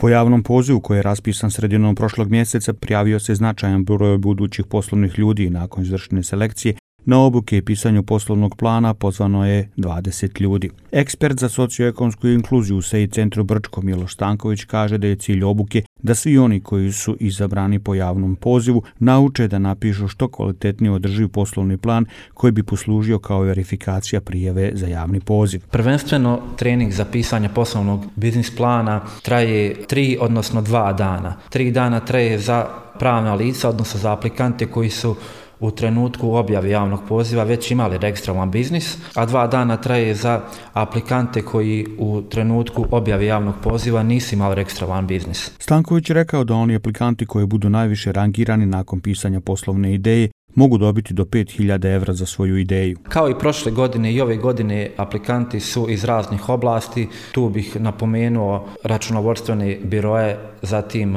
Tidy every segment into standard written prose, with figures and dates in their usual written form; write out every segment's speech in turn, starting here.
Po javnom pozivu koji je raspisan sredinom prošlog mjeseca prijavio se značajan broj budućih poslovnih ljudi. Nakon izvršene selekcije na obuke i pisanju poslovnog plana pozvano je 20 ljudi. Ekspert za socioekonomsku inkluziju u SEI centru Brčko Miloš Stanković kaže da je cilj obuke da svi oni koji su izabrani po javnom pozivu nauče da napišu što kvalitetnije održiv poslovni plan koji bi poslužio kao verifikacija prijave za javni poziv. Prvenstveno trening za pisanje poslovnog biznis plana traje 3 odnosno 2 dana. 3 dana traje za pravna lica, odnosno za aplikante koji su u trenutku objave javnog poziva već imali registrovan biznis, a 2 dana traje za aplikante koji u trenutku objave javnog poziva nisu imali registrovan biznis. Stanković je rekao da oni aplikanti koji budu najviše rangirani nakon pisanja poslovne ideje mogu dobiti do 5.000 evra za svoju ideju. Kao i prošle godine i ove godine aplikanti su iz raznih oblasti. Tu bih napomenuo računovodstvene biroje, zatim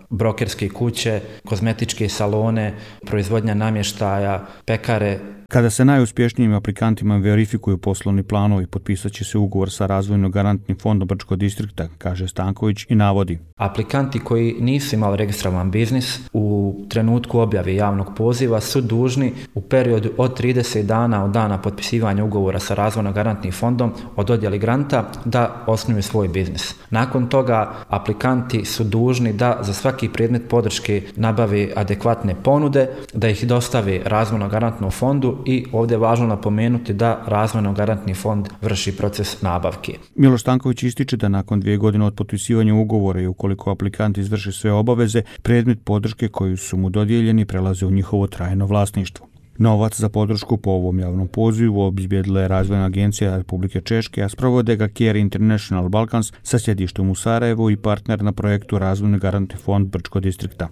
brokerske kuće, kozmetičke salone, proizvodnja namještaja, pekare. Kada se najuspješnijim aplikantima verifikuju poslovni planovi, potpisat će se ugovor sa Razvojno-garantnim fondom Brčkog distrikta, kaže Stanković i navodi. Aplikanti koji nisu imali registrovan biznis u trenutku objave javnog poziva su dužni u periodu od 30 dana od dana potpisivanja ugovora sa Razvojno-garantnim fondom o dodjeli granta da osnuju svoj biznis. Nakon toga aplikanti su dužni da za svaki predmet podrške nabave adekvatne ponude, da ih dostave Razvojno-garantnom fondu i ovdje je važno napomenuti da Razvojno-garantni fond vrši proces nabavke. Miloš Stanković ističe da nakon 2 godine od potpisivanja ugovora i ukoliko aplikant izvrši sve obaveze, predmet podrške koji su mu dodijeljeni prelaze u njihovo trajno vlasništvo. Novac za podršku po ovom javnom pozivu obezbijedila je Razvojna agencija Republike Češke, a sprovode ga Care International Balkans sa sjedištem u Sarajevu i partner na projektu Razvojno-garantni fond Brčkog distrikta.